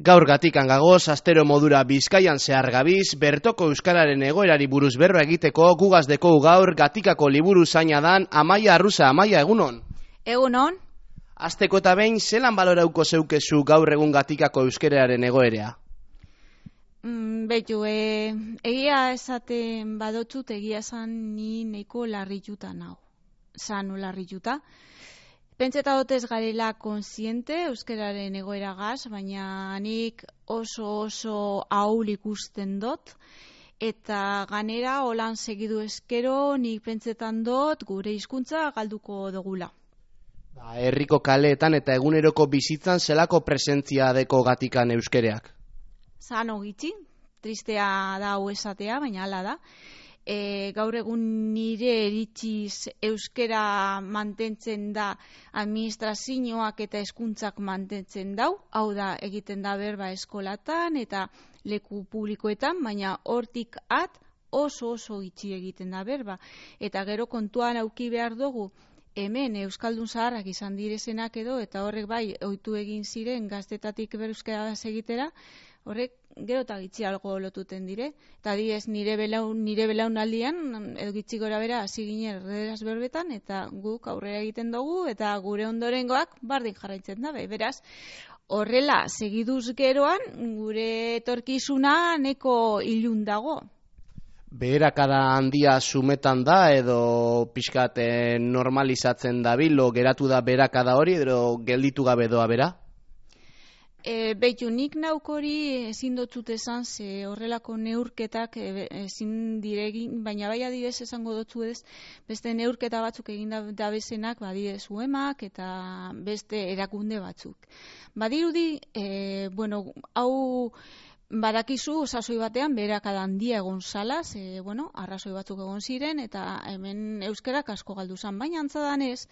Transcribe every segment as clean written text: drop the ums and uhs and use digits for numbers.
Gaur gatikan gagoz, astero modura Bizkaian zehar gabiz, bertoko euskararen egoerari buruz berba egiteko gugazdeko gaur gatikako liburu zaina dan Amaia Arruza. Amaia, egunon? Egunon. Asteko eta behin, zelan balorauko zeukezu gaur egun gatikako euskararen egoerea? Beitu, egia esaten badotzut, egia esan ni neiko larrituta nago. Zanu larrituta. Pentseta dotez garela konsiente euskararen egoeragaz, baina nik oso ahul ikusten dut, eta ganera holan segidu eskero nik pentsetan dut gure hizkuntza galduko dugula. Herriko kaleetan eta eguneroko bizitzan zelako presentzia deko gatikan euskereak? Zano gitxi, tristea da hau esatea, baina hala da. Gaur egun nire eritziz euskera mantentzen da administrazioak eta hezkuntzak mantentzen dau, hau da egiten da berba eskolatan eta leku publikoetan, baina hortik at oso gitxi egiten da berba. Eta gero kontuan auki behar dugu, hemen euskaldun zaharrak izan direzenak edo, eta horrek bai ohitu egin ziren gaztetatik euskara egitera, horrek gero eta gitxi algo lotuten dire. Eta adibidez nire belaunaldian edo gitxi gora bera hasi ginen erderaz berbetan, eta guk aurrera egiten dugu eta gure ondorengoak bardin jarraitzen da. Beraz, horrela segiduz geroan gure etorkizuna neko ilun dago. Beherakada handia sumetan da edo pixkat normalizatzen dabilo, geratu da beherakada hori edo gelditu gabe doa bera? Beitu, nik nauk hori ezin dotzut esan, ze horrelako neurketak ezin diregin, baina bai adibidez esango dotzu ez, beste neurketa batzuk egin dabezenak, adibidez UEMak eta beste erakunde batzuk. Badirudi, hau badakizu sasoi batean beherakada handia egon zala, arrazoi batzuk egon ziren, eta hemen euskerak asko galdu zan, baina antzadanez,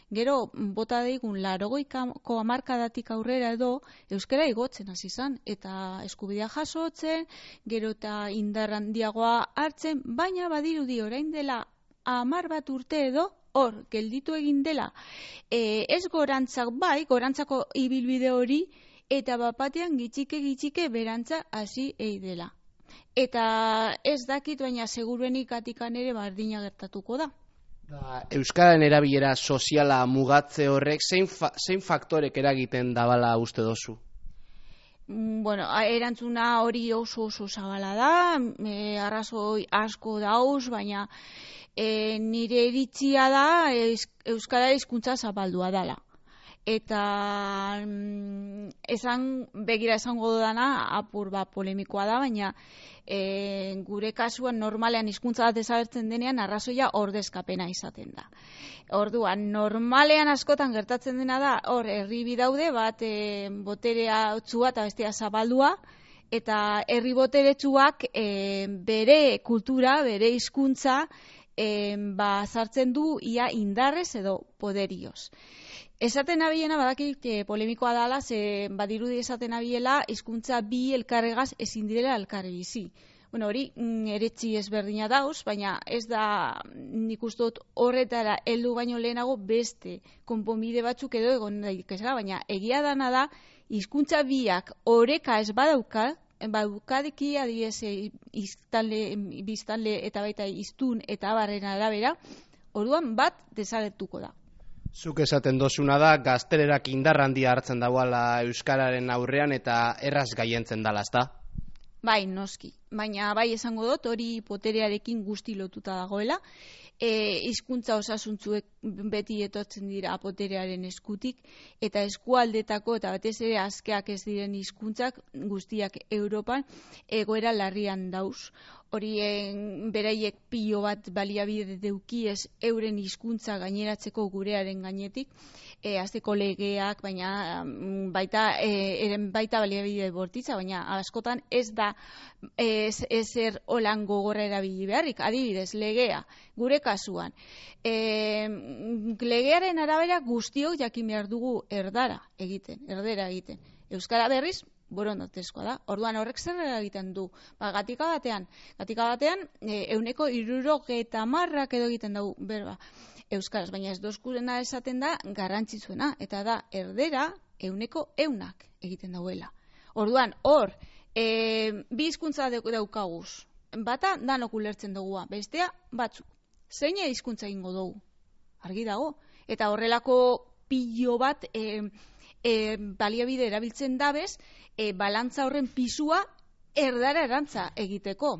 gero bota daigun 80ko hamarkadatik aurrera edo euskara igotzen hasi izan eta eskubidea jasotzen, gero eta indar handiagoa hartzen, baina badirudi orain dela 10 bat urte edo hor gelditu egin dela. Ez gorantzak bai, gorantzako ibilbide hori, eta bapatean gitxike berantza hasi dela. Eta ez dakit, baina seguruenik gatikan ere bardina gertatuko da. Euskararen erabilera soziala mugatze horrek zein faktorek eragiten dabala uste dozu? Erantzuna hori oso zabala da, arrazoi asko dauz, baina nire iritzia da euskara hizkuntza zapaldua dela. Eta esango dudana apur bat polemikoa da, baina gure kasuan normalean hizkuntza bat desagertzen denean arrazoia ordezkapena izaten da. Orduan, normalean askotan gertatzen dena da, hor herri bi daude, bat boterea otzua eta bestea zabaldua, eta herri boteretsuak bere kultura, bere hizkuntza sartzen du ia indarrez edo poderioz. Esaten abilena badakit polemikoa dala, ze badirudi esaten abiela hizkuntza bi elkarregaz ezin direla elkarri bizi. Hori eretzi ezberdina dauz, baina ez da nik uste dut horretara heldu baino lehenago beste konponbide batzuk edo egon daitezela, baina egia dana da hizkuntza biak oreka ez badukadeki adiez biztanle eta baita hiztun eta abarren arabera, orduan bat desagertuko da. Zuk esaten dozuna da, gaztelerak indar handia hartzen dagoela euskararen aurrean eta erraz gaientzen dala, ezta? Bai, noski. Baina bai esango dut, hori poterearekin guzti lotuta dagoela. Hizkuntza osasuntzuek beti etortzen dira poterearen eskutik, eta eskualdetako eta batez ere askeak ez diren hizkuntzak guztiak Europan egoera larrian dauz. Horien beraiek pilo bat baliabide deukiez euren hizkuntza gaineratzeko gurearen gainetik, hasteko legeak, baina baita baliabide bortitza, baina askotan ez da ezer holan gogorra erabili beharrik. Adibidez, legea, gure kasuan. Legearen arabera guztiok jakin behar dugu erdera egiten. Euskara berriz, borondatezkoa da. Orduan horrek zer egiten du? Gatika batean 70% edo egiten dugu berba euskaraz, baina ez dozkurena esaten da garrantzitsuena, eta da erdera 100% egiten dauela. Orduan, hor, bi hizkuntza daukaguz. Bata, danok ulertzen dugua, bestea, batzuk. Zein hizkuntza egingo dugu? Argi dago. Eta horrelako pilo bat baliabide erabiltzen dabez, balantza horren pisua erdara erantza egiteko.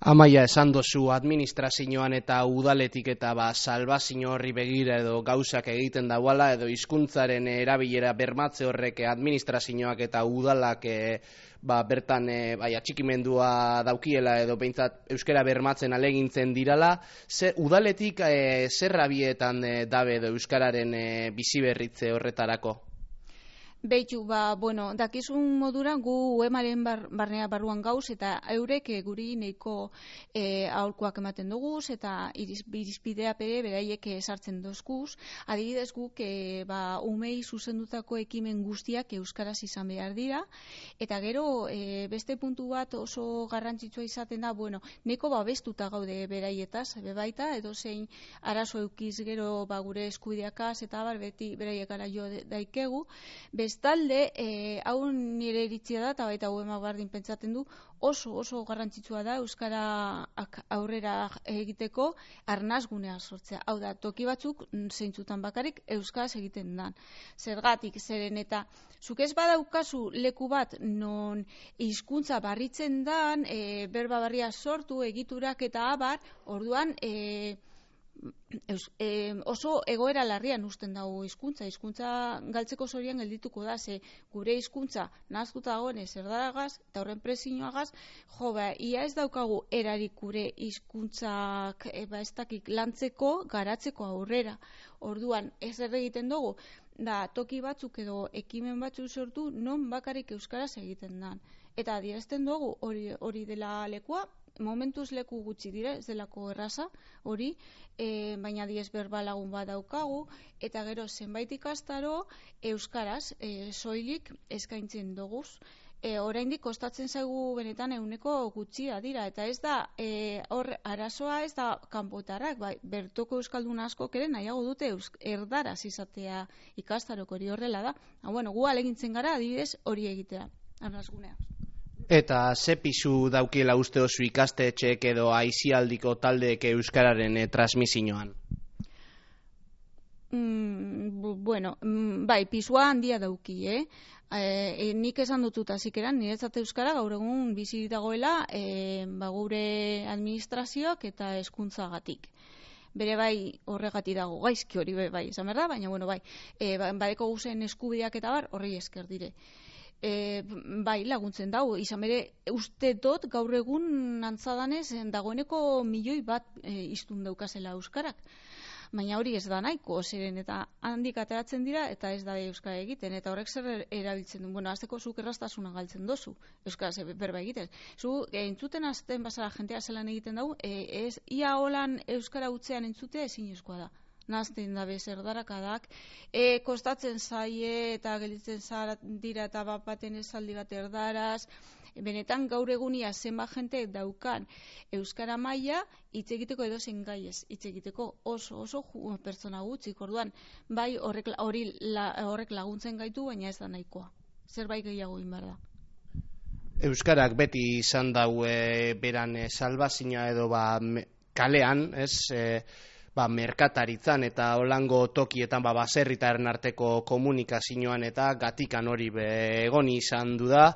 Amaia, esan dozu administrazioan eta udaletik eta salbazio horri begira edo gauzak egiten dauala edo hizkuntzaren erabilera bermatze horrek administrazioak eta udalak bertan atxikimendua daukiela edo behintzat euskara bermatzen alegintzen dirala, udaletik zer abietan dabe edo euskararen biziberritze horretarako? Beitu, dakizun modura gu UEMaren barnea barruan gauz eta eurek guri nahiko aholkuak ematen duguz eta irizpidea pere beraiek sartzen dozkuz. Adibidez guk umei zuzendutako ekimen guztiak euskaraz izan behar dira eta gero beste puntu bat oso garrantzitsua izaten da, nahiko babestuta gaude beraietaz, bebaita edo zein arazo eukiz gero gure eskubideakaz eta beti beraiek gara jo daikegu. Bestalde, hau nire iritzia da, eta baita UEMak bardin pentsatzen du, oso garrantzitsua da euskara aurrera egiteko arnazgunea sortzea. Hau da, toki batzuk zeintzutan bakarrik euskaraz egiten dan. Zergatik, zeren eta zuk ez badaukazu leku bat non hizkuntza barritzen dan, berba barria sortu, egiturak eta abar, orduan oso egoera larrian usten dago hizkuntza galtzeko zorian geldituko da, ze gure hizkuntza nahaztuta dagoenez erdaragaz eta horren presioagaz, ia ez daukagu erarik gure hizkuntzak ez dakik lantzeko, garatzeko aurrera. Orduan, ez egiten dugu, da toki batzuk edo ekimen batzuk sortu non bakarrik euskaraz egiten dan. Eta adierazten dugu hori dela lekua, momentuz leku gutxi dire, ez delako erraza hori, baina diez berbalagun bat daukagu, eta gero zenbait ikastaro euskaraz soilik eskaintzen doguz. Oraindik kostatzen zaigu benetan ehuneko gutxia dira, eta ez da hor arazoa ez da kanpotarrak, bertoko euskaldun askok ere nahiago dute erdaraz izatea ikastarok hori horrela da. Gu alegintzen gara adibidez hori egitea, arnazgunea. Eta ze pisu daukiela uste oso ikastetxeek edo aisialdiko taldeek euskararen transmisioan? Pisua handia dauki, nik esan dutut azikeran, niretzat euskara gaur egun bizi dagoela gure administrazioak eta hezkuntzagatik. Bere horregati dago gaizki hori esan behar da, baina badeko guzen eskubideak eta horrei esker dire. Laguntzen dago, izan bere uste dut gaur egun antzadanez dagoeneko 1.000.000 hiztun daukazela euskarak. Baina hori ez da nahiko, zeren eta handik ateratzen dira eta ez da euskara egiten, eta horrek zer erabiltzen du. Azteko zuk erraztasuna galtzen dozu, euskaraz berba egiten. Zu entzuten azten bazara jentea zelan egiten dugu, ia holan euskara utzean entzutea ezinezkoa da. Nazten dabe zerdarakadak, kostatzen zaie eta gelditzen dira eta baten esaldi bat erdaraz, benetan gaur egunia zenbat jente daukan euskara maila hitz egiteko edo zen gaiez hitz egiteko oso pertsona gutxik, orduan horrek laguntzen gaitu, baina ez da nahikoa. Zerbait gehiago egin behar da. Euskarak beti izan dau beran salbazioa edo kalean, merkataritzan eta holango tokietan baserritarren arteko komunikazioan eta gatikan hori egon izan du da.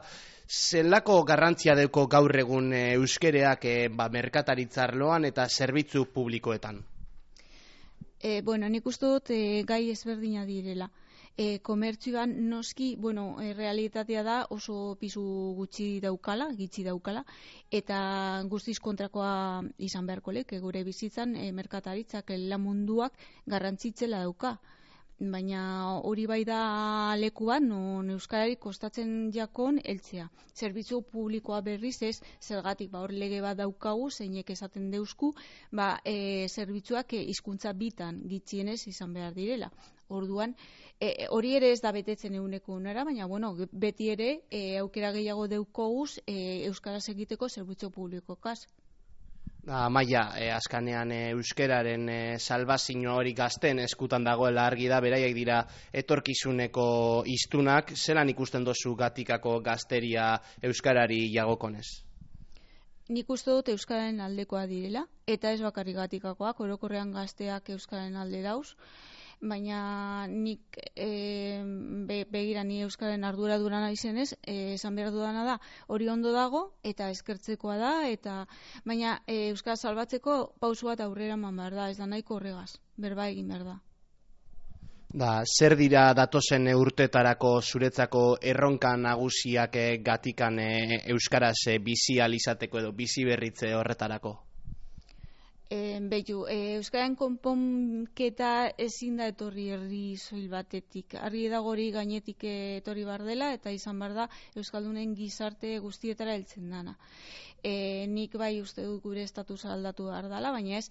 Zelako garrantzia dauko gaur egun euskereak merkataritza arloan eta zerbitzu publikoetan? Nik uste dut gai ezberdina direla. Komertzioan noski, realitatea da oso pisu gitxi daukala, eta guztiz kontrakoa izan beharko leke gure bizitzan merkataritzak lan munduak garrantzitzela dauka. Baina hori bai da leku bat, non euskarari kostatzen jakon heltzea. Zerbitzu publikoa berriz ez, zergatik hor lege bat daukagu, zeinek esaten deusku, zerbitzuak hizkuntza bitan gitxienez izan behar direla. Orduan, hori ere ez da betetzen ehuneko unera, baina beti ere aukera gehiago deukoguz euskaraz egiteko zerbitzu publikokaz. Amaia, azkanean euskeraren salbazio hori gazten eskutan dagoela argi da, beraiek dira etorkizuneko hiztunak, zelan ikusten dozu Gatikako gazteria euskarari jagokonez? Nik uste dut euskararen aldekoa direla, eta ez bakarrik Gatikakoak, orokorrean gazteak euskararen alde dauz, baina nik begira ni euskararen arduraduna izenez, esan behar dudana da, hori ondo dago eta eskertzekoa da, baina euskara salbatzeko pausu bat aurrera eman behar da, ez da nahiko horregaz, berba egin behar da. Zer dira datozen urtetarako zuretzako erronka nagusiak Gatikan euskaraz bizi alizateko edo bizi berritze horretarako? Euskararen konponketa ezin da etorri herri soil batetik. Argi dago hori gainetik etorri bar dela eta izan bar da euskaldunen gizarte guztietara heltzen dana. Nik bai uste dut gure estatusa aldatu behar dela, baina ez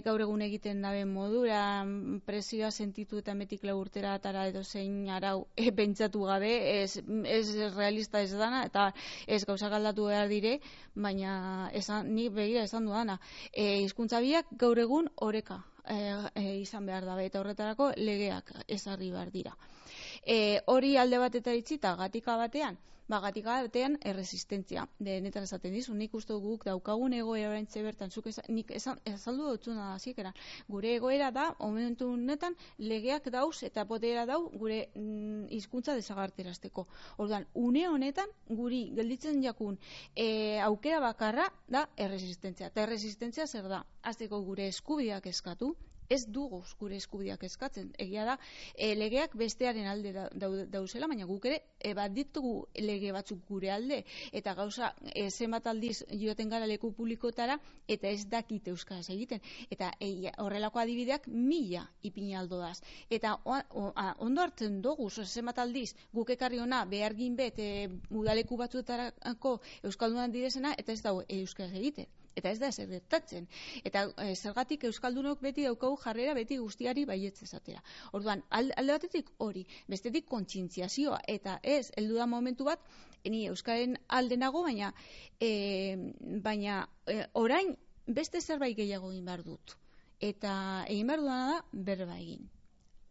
gaur egun egiten daben modura presioa sentitu eta metik lau urtera atara edo zein arau pentsatu gabe, ez realista ez dana eta ez gauzak aldatu behar dire, baina nik begira esan dudana. Hizkuntza biak gaur egun oreka izan behar dabe eta horretarako legeak ezarri behar dira. Hori alde bateta itzita Gatika batean, Gatika batean erresistentzia. Denetan esaten dizu, nik uste guk daukagun egoera oraintxe bertan, nik azaldu dutzuna da zikeran. Gure egoera da, momentu honetan, legeak dauz eta potera dau gure hizkuntza desagertarazteko. Orduan, une honetan, guri gelditzen jakun aukera bakarra da erresistentzia. Eta erresistentzia zer da? Hasteko gure eskubideak eskatu, ez dugu gure eskubideak eskatzen. Egia da, legeak bestearen alde dauzela, baina guk ere bat ditugu lege batzuk gure alde, eta gauza zenbat aldiz joaten gara leku publikotara, eta ez dakit euskaraz egiten. Eta horrelako adibideak 1000 ipini aldo daz. Eta ondo hartzen dugu, zenbat aldiz guk ekarri hona behargin bet udaleku batzuetarako euskaldunan direzena, eta ez dago euskaraz egiten. Eta ez da ezer gertatzen. Eta zergatik euskaldunok beti daukagu jarrera beti guztiari baietz esatera. Orduan, alde batetik hori, bestetik kontzientziazioa, eta ez, heldu da momentu bat, ni euskaren alde nago, baina orain beste zerbait gehiago egin behar dut. Eta egin behar dudana da berba egin.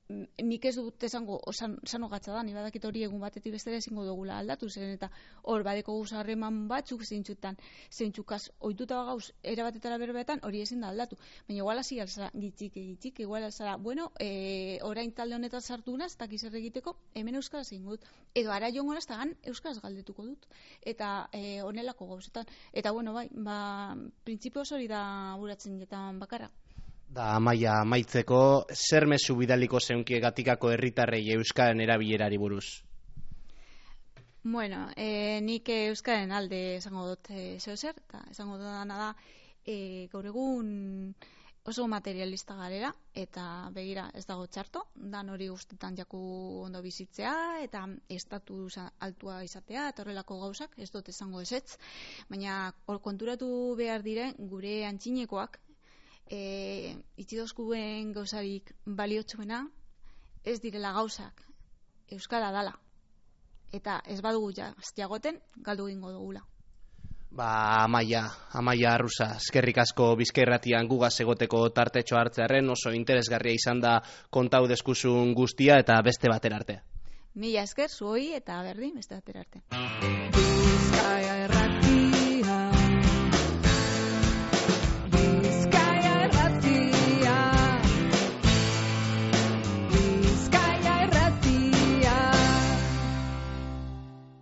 Nik ez dut esango sano gatza da, ni badakit hori egun batetik bestera ezingo dugula aldatu, zeren eta hor badeko guzarreman batzuk zeintzukaz ohituta gauz erabatetara berbetan hori ezin da aldatu. Baina igual hasi alzara gitxik, igual alzara, orain talde honetan sartu naz, eta zer egiteko, hemen euskaraz egin dut. Edo ara joan goraz, eta euskaraz galdetuko dut. Eta honelako gauzetan. Eta printzipioz hori da buratzen jetan bakarra. Amaia, amaitzeko, zer mezu bidaliko zeunkie Gatikako herritarrei euskaren erabilerari buruz? Nik euskaren alde esango dut zer, eta esango dudana da, gaur egun oso materialista garela, eta begira ez dago txarto, dan hori guztetan jaku ondo bizitzea, eta estatu altua izatea, eta horrelako gauzak, ez dut esango ezetz, baina hor konturatu behar diren gure antxinekoak, itxidozkuen gauzarik baliotsuena ez direla gauzak euskara dala eta ez badugu jagoten galdu egingo dugula. Amaia Arruza, eskerrik asko Bizkairratian gugaz egoteko tartetxo hartzearen, oso interesgarria izan da kontau deskuzun guztia eta beste batera arte. Mila esker zuoi eta berdin beste batera arte.